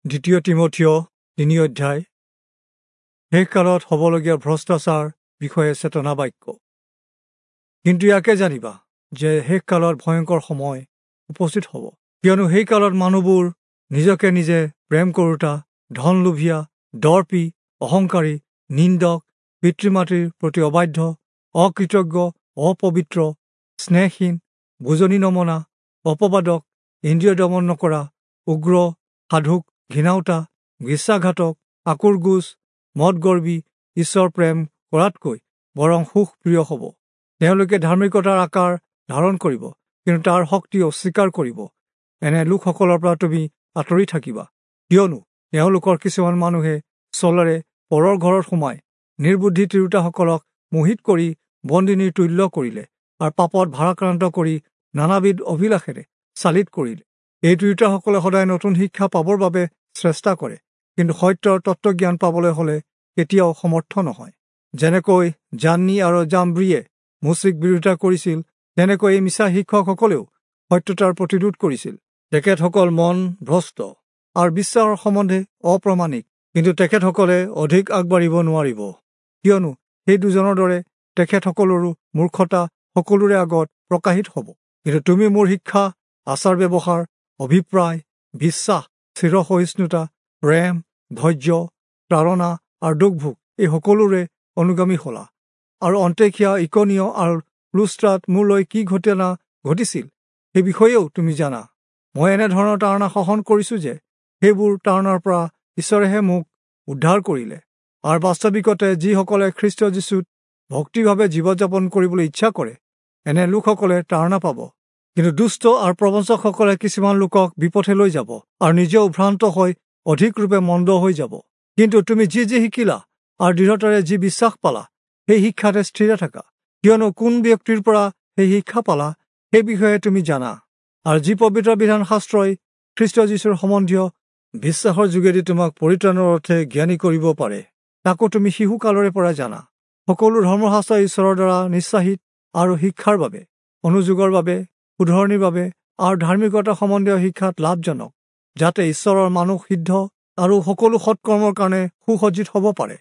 দ্বিতীয় তীমথিয় 3 অধ্যায়। শেষকালত হ'বলগীয়া ভ্ৰষ্টাচাৰ বিষয়ে চেতনা বাক্য। কিন্তু ইয়াকে জানিবা যে শেষকালত ভয়ংকৰ সময় উপস্থিত হ'ব, কিয়নো সেই কালত মানুহবোৰ নিজকে নিজে প্ৰেম কৰোতা, ধনলোভীয়া, দৰ্পী, অহংকাৰী, নিন্দক, পিতৃ মাতৃৰ প্ৰতি অবাধ্য, অকৃতজ্ঞ, অপবিত্ৰ, স্নেহহীন, বুজনি নমনা, অপবাদক, ইন্দ্ৰিয় দমন নকৰা, উগ্ৰ, সাধুক ঘৃণাওতা, বিশ্বাসঘাতক, আকুৰগোজ, মদগৰ্বী, ঈশ্বৰ প্ৰেম কৰাতকৈ বৰং সুখ প্ৰিয় হ'ব। তেওঁলোকে ধাৰ্মিকতাৰ আকাৰ ধাৰণ কৰিব, কিন্তু তাৰ শক্তি অস্বীকাৰ কৰিব। এনে লোকসকলৰ পৰা তুমি আঁতৰি থাকিবা, কিয়নো তেওঁলোকৰ কিছুমান মানুহে চলেৰে পৰৰ ঘৰত সোমাই নিৰ্বুদ্ধি তিৰোতাসকলক মোহিত কৰি বন্দিনীৰ তুল্য কৰিলে আৰু পাপত ভাৰাক্ৰান্ত কৰি নানাবিধ অভিলাষেৰে চালিত কৰিলে। এই তিৰোতাসকলে সদায় নতুন শিক্ষা পাবৰ বাবে চেষ্টা কৰে, কিন্তু সত্যৰ তত্ত্বজ্ঞান পাবলৈ হ'লে কেতিয়াও সমৰ্থ নহয়। যেনেকৈ জান্নী আৰু জাম্ব্ৰিয়ে মোচিক বিৰোধিতা কৰিছিল, তেনেকৈ এই মিছা শিক্ষকসকলেও সত্যতাৰ প্ৰতিৰোধ কৰিছিল। তেখেতসকল মন ভ্ৰষ্ট আৰু বিশ্বাসৰ সম্বন্ধে অপ্ৰমাণিক, কিন্তু তেখেতসকলে অধিক আগবাঢ়িব নোৱাৰিব, কিয়নো সেই দুজনৰ দৰে তেখেতসকলৰো মূৰ্খতা সকলোৰে আগত প্ৰকাশিত হ'ব। কিন্তু তুমি মোৰ শিক্ষা, আচাৰ ব্যৱহাৰ, অভিপ্ৰায়, বিশ্বাস, চিৰসহিষ্ণুতা, প্ৰেম, ধৈৰ্য, তাৰণা আৰু দুখভোগ এই সকলোৰে অনুগামী হলা। আৰু অন্তেখিয়া, ইকনীয় আৰু লুস্ত্ৰাত মোলৈ কি ঘটনা ঘটিছিল সেই বিষয়েও তুমি জানা। মই এনেধৰণৰ তাৰণা সহন কৰিছোঁ যে সেইবোৰ তাৰণাৰ পৰা ঈশ্বৰেহে মোক উদ্ধাৰ কৰিলে। আৰু বাস্তৱিকতে যিসকলে খ্ৰীষ্ট যীশুত ভক্তিভাৱে জীৱন যাপন কৰিবলৈ ইচ্ছা কৰে, এনে লোকসকলে তাৰণা পাব। কিন্তু দুষ্ট আৰু প্ৰবঞ্চকসকলে কিছুমান লোকক বিপথে লৈ যাব আৰু নিজেও ভ্ৰান্ত হৈ অধিক ৰূপে মন্দ হৈ যাব। কিন্তু তুমি যি যি শিকিলা আৰু দৃঢ়তাৰে যি বিশ্বাস পালা, সেই শিক্ষাতে স্থিৰে থাকা, কিয়নো কোন ব্যক্তিৰ পৰা সেই শিক্ষা পালা সেই বিষয়ে তুমি জানা। আৰু যি পবিত্ৰ বিধান শাস্ত্ৰই খ্ৰীষ্ট যীশুৰ সম্বন্ধীয় বিশ্বাসৰ যোগেদি তোমাক পৰিত্ৰাণৰ অৰ্থে জ্ঞানী কৰিব পাৰে, তাকো তুমি শিশুকালৰে পৰা জানা। সকলো ধৰ্মশাস্ত্ৰ ঈশ্বৰৰ দ্বাৰা নিঃশ্বাসিত আৰু শিক্ষাৰ বাবে, অনুযোগৰ বাবে, শুধৰণিৰ বাবে আৰু ধাৰ্মিকতা সম্বন্ধীয় শিক্ষাত লাভজনক, যাতে ঈশ্বৰৰ মানুহ সিদ্ধ আৰু সকলো সৎকৰ্মৰ কাৰণে সুসজ্জিত হ'ব পাৰে।